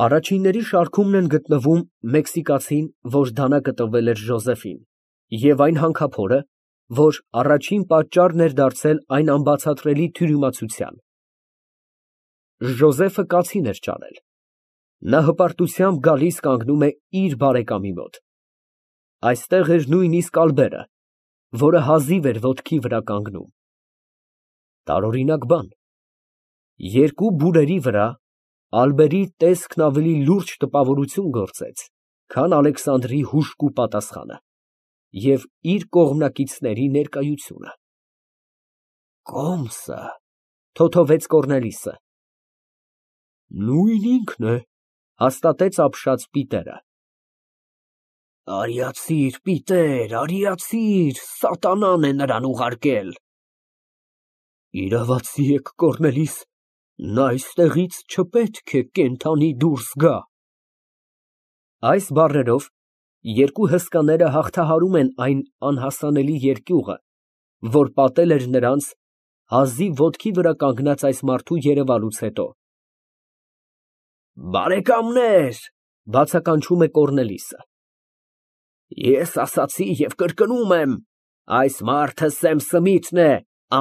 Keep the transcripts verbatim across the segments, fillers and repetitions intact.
Առաջինների շարքումն են գտնվում մեքսիկացին, որ դանակը տվել էր Ժոզեֆին, և այն հանքափորը, որ առաջին պատճառն էր դարձել այն անբացատրելի թյուրիմացության։ Ժոզեֆը կացին էր ճարել։ Նա հպարտությամբ գալիս կանգնում է իր բարեկամի մոտ։ Այստեղ էր նույնիսկ Ալբերը, որը հազիվ էր ոտքի վրա կանգնում։ Տարօրինակ բան, երկու բուրերի վրա Ալբերի տեսքն ավելի լուրջ տպավորություն գործեց, քան Ալեքսանդրի հուժկու պատասխանը և իր կողմնակիցների ներկայությունը։ «Կոմսը», թոթովեց Կոռնելիսը։ Նույն ինքն է, հաստատեց ապշած Պիտերը։ Արիացիր, Պիտեր, արիացիր, սատանան է նրան ուղարկել։ Իրավացի եք, Կոռնելիս, նա այստեղից չպետք է կենդանի դուրս գա։ Այս բառերով երկու հսկաները հաղթահարում են այն անհասանելի երկյուղը, որ պատել էր նրանց հազիվ ոտքի վրա կանգնած այս մարդու երևալուց հետո։ Բարեկամներ, բացականչում է Կոռնելիսը, ես ասացի և կրկնում եմ, այս մարդը Սեմ Սմիթն է,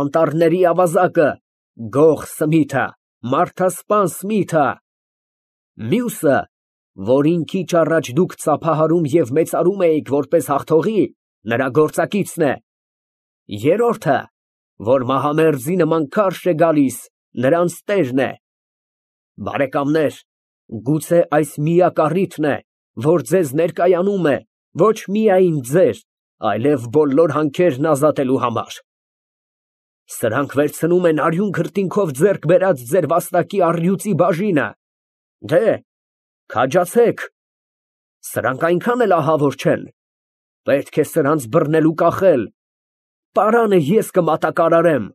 անտառների ավազակը, Գող Սմիթը, մարդասպան Սմիթը, մյուսը, որին քիչ առաջ դուք ծափահարում և մեծարում էիք որպես հաղթողի, նրա գործակիցն է, երրորդը, որ մահամերձի նման քարշ է գալիս, նրանց տերն է։ Բարեկամներ, գուցե այս միակ առիթն է, որ ձեզ ներկայանում է, ոչ միայն ձեր, այլև բոլոր հանքերն ազատելու համար։ Սրանք վերցնում են արյուն քրտինքով ձեռք բերած ձեր վաստակի առյուծի բաժինը։ Դե, քաջացեք, սրանք այնքան էլ ահավոր չեն, պետք է սրանց բռնել ու կախել, պարանը ես կմատակարարեմ։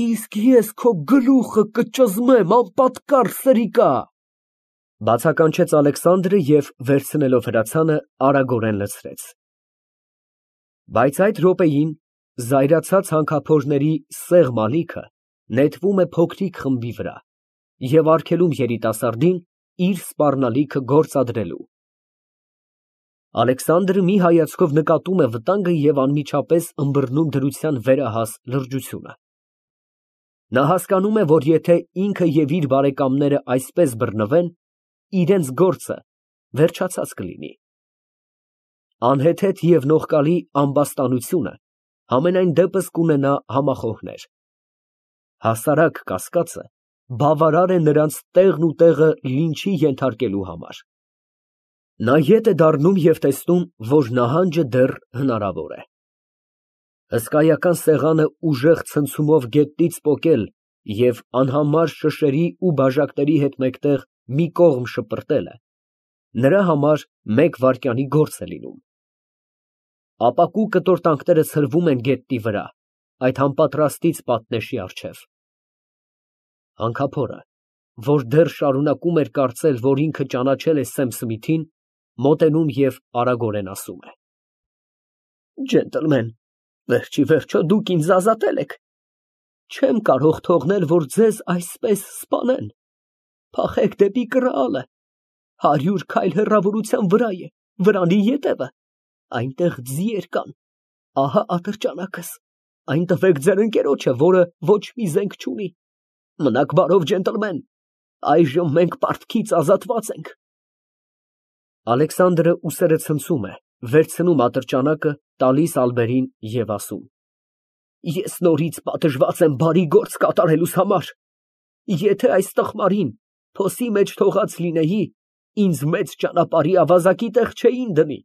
Իսկ ես քո գլուխը կճզմեմ, անպատկառ սրիկա, բացականչեց Ալեքսանդրը և վերցնելով հրացանը արագորեն լցրեց։ Բայց այդ րոպեին զայրացած հանքափորների սեղմ ալիքը նետվում է փոքրիկ խմբի վրա և արգելում երիտասարդին իր սպառնալիքը գործադրելու։ Ալեքսանդրը մի հայացքով նկատում է վտանգը և անմիջապես ըմբռնում դրության վերահաս լրջությունը։ Նա հասկանում է, որ եթե ինքը և իր բարեկամները այսպես բռնվեն, իրենց գործը վերջացած կլինի։ Անհեթեթ և նողկալի ամբաստանությունը համենայն դեպս կունենա համախոհներ։ Հասարակ կասկածը բավարար է նրանց տեղն ու տեղը լինչի ենթարկելու համար։ Նա ետ է դառնում և տեսնում, որ նահանջը դեռ հնարավոր է։ Հսկայական սեղանը ուժեղ ցնցումով գետնից պոկել և անհամար շշերի ու բաժակների հետ մեկտեղ մի կողմ շպրտելը նրա համար մեկ վայրկյանի գործ է լինում։ Ապակու կտորտանքները ցրվում են գետնի վրա, այդ անպատրաստից պատնեշի առջև։ Հանքափորը, որ դեռ շարունակում էր կարծել, որ ինքը ճանաչել է Սեմ Սմիթին, մոտենում և արագորեն ասում է. Ջենտլմեն, վերջիվերջո դուք ինձ ազատել եք, չեմ կարող թողնել, որ ձեզ այսպես սպանեն, փախեք դեպի կռալը, հարյուր քայլ հեռավորության վրա է, վրանի ետևը, այնտեղ ձիեր կան, ահա ատրճանակս, այն տվեք ձեր ընկերոջը, որը ոչ մի զենք չունի, մնաք բարով, ջենտլմեն, այժմ մենք պարտքից ազատված ենք։ Ալեքսանդրը ուսերը ցնցում է, վերցնում ատրճանակը, տալիս Ալբերին և ասում. Ես նորից պատժված եմ բարի գործ կատարելուս համար, եթե այս տխմարին փոսի մեջ թողած լինեի, ինձ մեծ ճանապարհի ավազակի տեղ չէին դնի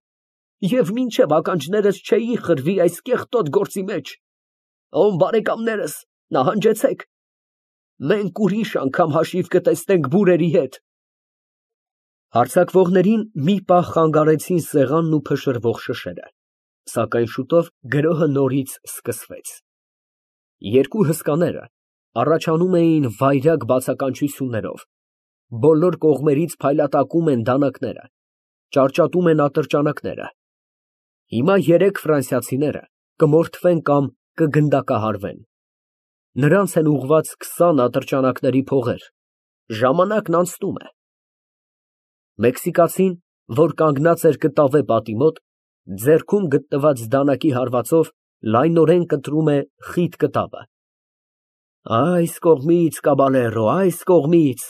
և մինչև ականջներս չէի խրվի այս կեղտոտ գործի մեջ։ Ով բարեկամներս, նահանջեցեք, մենք ուրիշ անգամ հաշիվ կտեսնենք բուրերի հետ։ Հարձակվողներին մի պահ խանգարեցին սեղանն ու փշրվող շշերը, սակայն շուտով գրոհը նորից սկսվեց։ Երկու հսկաները առաջանում էին վայրագ բացականչություններով, բոլոր կողմերից փայլատակում են դանակները, ճարճատում են ատրճանակները։ Հիմա երեք ֆրանսիացիները կմորթվեն կամ կգնդակահարվեն։ Նրանց են ուղղված քսան ատրճանակների փողեր, ժամանակն անցնում է։ Մեքսիկացին, որ կանգնած էր կտավե պատի մոտ, ձեռքում գտնված դանակի հարվածով լայնորեն կտրում է խիտ կտավը։ Այս կողմից, կաբալերո, այս կողմից։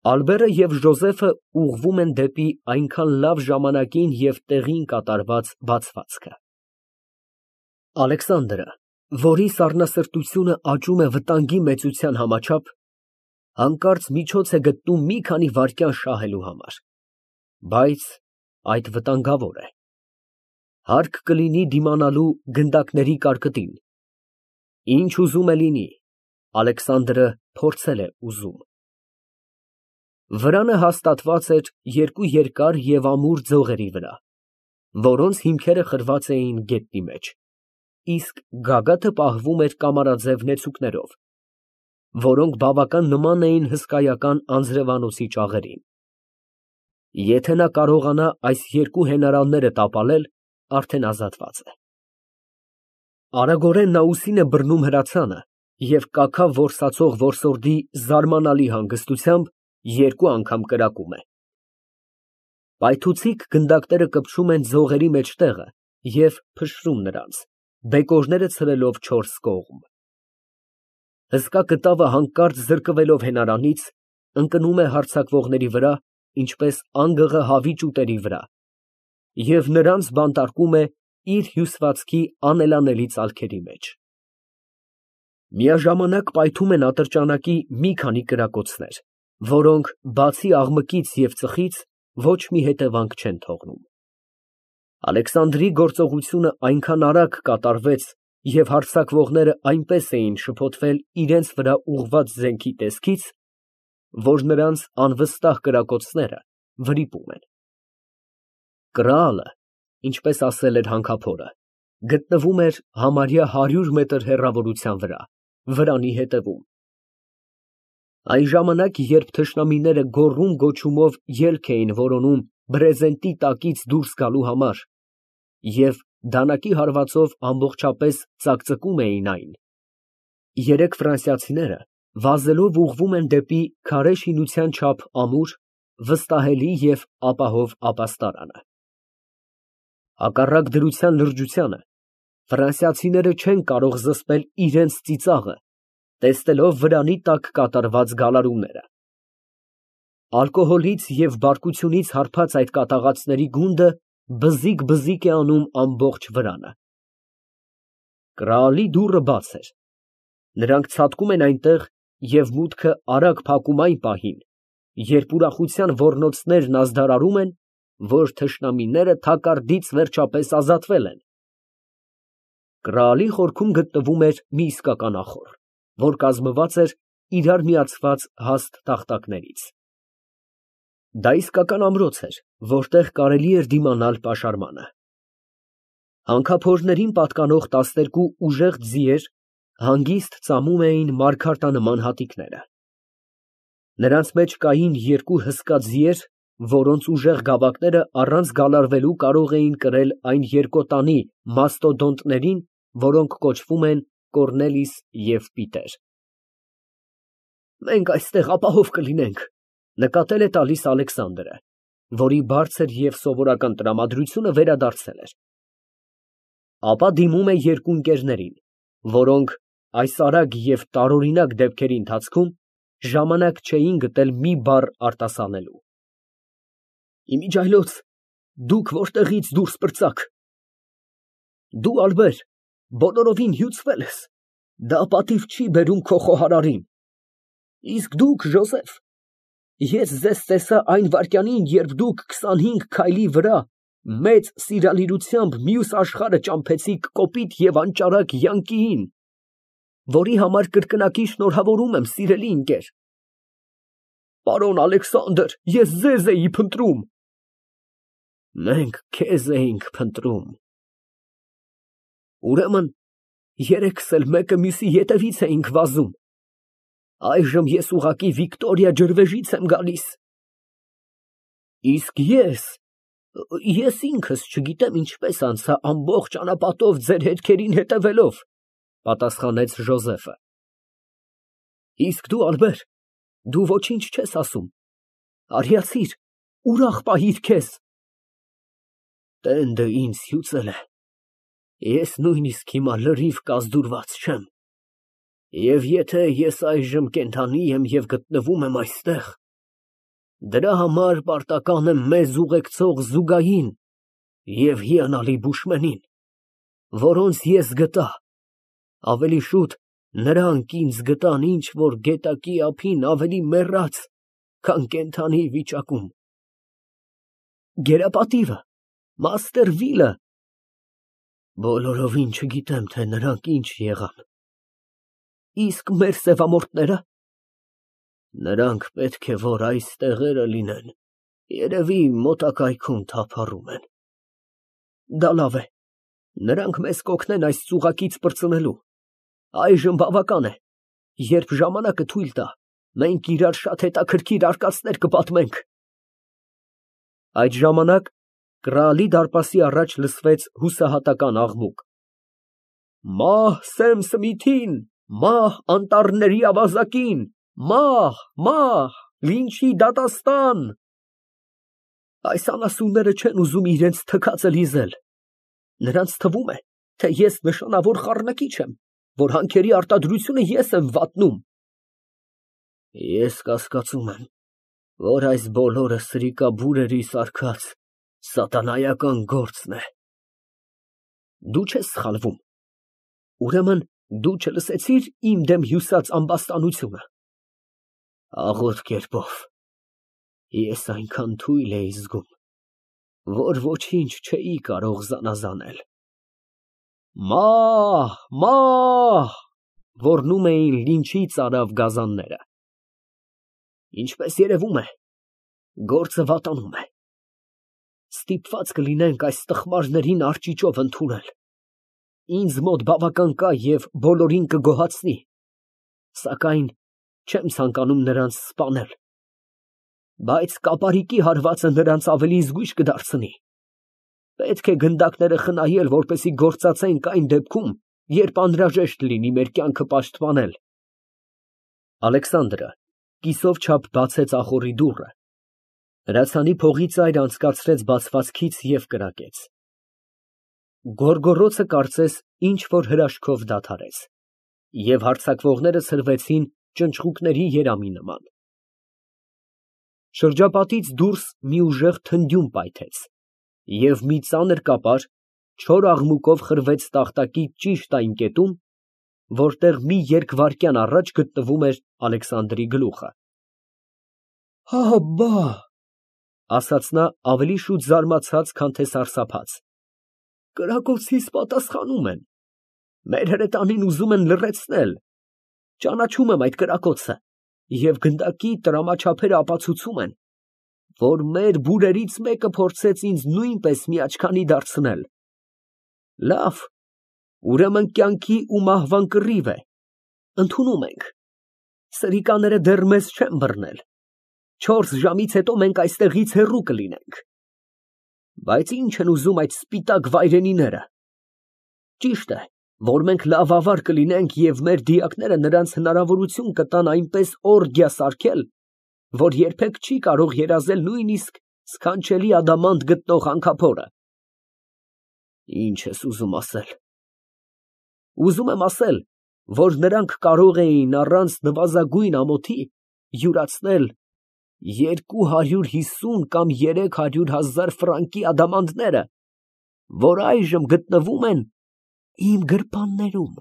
Ալբերը և Ժոզեֆը ուղղվում են դեպի այնքան լավ ժամանակին և տեղին կատարված բացվածքը։ Ալեքսանդրը, որի սառնասրտությունը աճում է վտանգի մեծության համաչափ, հանկարծ միջոց է գտնում մի քանի վայրկյան շահելու համար, բայց այդ վտանգավոր է։ Հարկ կլինի դիմանալու գնդակների կարկտին։ Ինչ ուզում է լինի, Ալեքսանդրը փորձել է ուզում։ Վրանը հաստատված էր երկու երկար և ամուր ձողերի վրա, որոնց հիմքերը խրված էին գետնի մեջ, իսկ գագաթը պահվում էր կամարաձև նեցուկներով, որոնք բավական նման էին հսկայական անձրևանոցի ճաղերին։ Եթե նա կարողանա այս երկու հենարանները տապալել, արդեն ազատված է։ Արագորեն նա ուսին է բռնում հրացանը և կաքավ որսացող որսորդի զարմանալի հանգստությամբ երկու անգամ կրակում է։ Պայթուցիկ գնդակները կպչում են ձողերի մեջտեղը և փշրում նրանց, բեկորները ցրելով չորս կողմ։ Հսկա կտավը հանկարծ զրկվելով հենարանից, ընկնում է հարձակվողների վրա, ինչպես անգղը հավի ճուտերի վրա, և նրանց բանտարկում է իր հյուսվածքի անելանելի ծալքերի մեջ։ Միաժամանակ պայթում են ատրճանակի մի քանի կրակոցներ, որոնք, բացի աղմկից և ծխից, ոչ մի հետևանք չեն թողնում։ Ալեքսանդրի գործողությունը այնքան արագ կատարվեց և հարձակվողները այնպես էին շփոթվել իրենց վրա ուղղված զենքի տեսքից, որ նրանց անվստահ կրակոցները վրիպում են։ Կրալը, ինչպես ասել էր հանքափորը, գտնվում էր համարյա հարյուր մետր հեռավորության վրա, վրանի հետևում։ Այն ժամանակ, երբ թշնամիները գոռում֊գոչումով ելք էին որոնում բրեզենտի տակից դուրս գալու համար և դանակի հարվածով ամբողջապես ծակծկում էին այն, երեք ֆրանսիացիները վազելով ուղղվում են դեպի քարե շինության չափ ամուր, վստահելի և ապահով ապաստարանը։ Հակառակ դրության լրջությանը, ֆրանսիացիները չեն կարող զսպել իրենց ծիծաղը, տեսնելով վրանի տակ կատարված գալարումները։ Ալկոհոլից և բարկությունից հարբած այդ կատաղածների գունդը բզիկ֊բզիկ է անում ամբողջ վրանը։ Կրալի դուռը բաց էր։ Նրանք ցատկում են այնտեղ և մուտքը արագ փակում այն պահին, երբ ուրախության ոռնոցներն ազդարարում են, որ թշնամիները թակարդից վերջապես ազատվել են։ Կրալի խորքում գտնվում էր մի իսկական ախոռ, որ կազմված էր իրար միացված հաստ տախտակներից։ Դա իսկական ամրոց էր, որտեղ կարելի էր դիմանալ պաշարմանը։ Հանքափորներին պատկանող տասներկու ուժեղ ձիեր հանգիստ ծամում էին մարգարտանման հատիկները։ Նրանց մեջ կային երկու հսկա ձիեր, որոնց ուժեղ գավակները առանց գալարվելու կարող էին կրել այն երկոտանի մաստոդոնտներին, որոնք կոչվում են Կոռնելիս և Պիտեր։ Մենք այստեղ ապահով կլինենք, ֊ նկատել է տալիս Ալեքսանդրը, որի բարձր և սովորական տրամադրությունը վերադարձել էր։ Ապա դիմում է երկու ընկերներին, որոնք այս արագ և տարօրինակ դեպքերի ընթացքում ժամանակ չէին գտել մի բառ արտասանելու։ Իմիջիայլոց, դուք որտեղի՞ց դուրս պրծաք։ Դու, Ալբեր, բոլորովին հյուծվել ես, դա պատիվ չի բերում քո խոհարարին, իսկ դուք, Ժոզեֆ, ես ձեզ տեսա այն վայրկյանին, երբ դուք քսանհինգ քայլի վրա մեծ սիրալիրությամբ մյուս աշխարհը ճամփեցիք կոպիտ և անճարակ յանկիին, որի համար կրկնակի շնորհավորում եմ, սիրելի ընկեր։ Պարոն Ալեքսանդր, ես ձեզ էի փնտրում։ Մենք քեզ էինք փնտրում։ Ուրեմն երեքս էլ մեկը մյուսի ետևից էինք վազում։ Այժմ ես ուղղակի Վիկտորիա ջրվեժից եմ գալիս։ Իսկ ես… ես ինքս չգիտեմ ինչպես անցա ամբողջ անապատով ձեր հետքերին հետևելով, պատասխանեց Ժոզեֆը։ Իսկ դու, Ալբեր, դու ոչինչ չես ասում։ Արիացիր, ուրախ պահիր քեզ։ Տենդը ինձ հյուծել է, ես նույնիսկ հիմա լրիվ կազդուրված չեմ, և եթե ես այժմ կենդանի եմ և գտնվում եմ այստեղ, դրա համար պարտական եմ մեզ ուղեկցող Զուգային և հիանալի Բուշմենին, որոնց ես գտա, ավելի շուտ նրանք ինձ գտան ինչ֊որ գետակի ափին ավելի մեռած, քան կենդանի վիճակում։ Գերապատիվը, մաստեր Վիլը, բոլորովին չգիտեմ, թե նրանք ինչ եղան։ Իսկ մեր սևամորթնե՞րը։ Նրանք պետք է որ այս տեղերը լինեն, երևի մոտակայքում թափառում են։ Դա լավ է, նրանք մեզ կօգնեն այս ծուղակից պրծնելու, այժմ բավական է, երբ ժամանակը թույլ տա, մենք իրար շատ հետաքրքիր արկածներ կպատմենք։ Այդ ժամանակ կռահալի դարպասի առաջ լսվեց հուսահատական աղմուկ. Մահ Սեմ Սմիթին, մահ անտառների ավազակին, մահ, մահ, լինչի դատաստան։ Այս անասունները չեն ուզում իրենց թքածը լիզել, նրանց թվում է, թե ես նշանավոր խառնակիչ եմ, որ հանքերի արտադրությունը ես եմ վատնում։ Ես կասկածում եմ, որ այս բոլորը սրիկաբուրերի սարքած սատանայական գործն է։ Դու չես սխալվում, ուրեմն դու չլսեցի՞ր իմ դեմ հյուսած ամբաստանությունը։ Աղոտ կերպով, ես այնքան թույլ էի զգում, որ ոչինչ չէի կարող զանազանել։ Մահ, մահ, ոռնում էին լինչի ծարավ գազանները։ Ինչպես երևում է, գործը վատանում է։ Ստիպված կլինենք այս տխմարներին արճիճով ընդունել։ Ինձ մոտ բավական կա և բոլորին կգոհացնի, սակայն չեմ ցանկանում նրանց սպանել։ Բայց կապարիկի հարվածը նրանց ավելի զգույշ կդարձնի։ Պետք է գնդակները խնայել, որպեսզի գործածենք այն դեպքում, երբ անհրաժեշտ լինի մեր կյանքը պաշտպանել։ Ալեքսանդրը կիսով չափ բացեց ախոռի դուռը, հրացանի փողի ծայրը անցկացրեց բացվածքից և կրակեց։ Գոռգոռոցը կարծես ինչ֊որ հրաշքով դադարեց, և հարձակվողները ցրվեցին ճնճղուկների երամի նման։ Շրջապատից դուրս մի ուժեղ թնդյուն պայթեց, և մի ծանր կապար չոր աղմուկով խրվեց տախտակի ճիշտ այն կետում, որտեղ մի երկվայրկյան առաջ գտնվում էր Ալեքսանդրի գլուխը։ Աբա, ասաց նա ավելի շուտ զարմացած, քան թե սարսափած, կրակոցիս պատասխանում են, մեր հրետանին ուզում են լռեցնել, ճանաչում եմ այդ կրակոցը, և գնդակի տրամաչափերը ապացուցում են, որ մեր բուրերից մեկը փորձեց ինձ նույնպես միաչքանի դարձնել։ Լավ, ուրեմն կյանքի ու մահվան կռիվ է, ընդունում ենք, սրիկաները դեռ մեզ չեն բռնել, չորս ժամից հետո մենք այստեղից հեռու կլինենք։ Բայց ի՞նչ են ուզում այդ սպիտակ վայրենիները։ Ճիշտ է, որ մենք լավ ավար կլինենք և մեր դիակները նրանց հնարավորություն կտան այնպես օրգիա սարքել, որ երբեք չի կարող երազել նույնիսկ սքանչելի ադամանդ գտնող հանքափորը։ Ի՞նչ ես ուզում ասել։ Ուզում եմ ասել, որ նրանք կարող էին առանց նվազագույն ամոթի յուրացնել երկու հարյուր հիսուն կամ երեք հարյուր հազար ֆրանկի ադամանդները, որ այժմ գտնվում են իմ գրպաններում։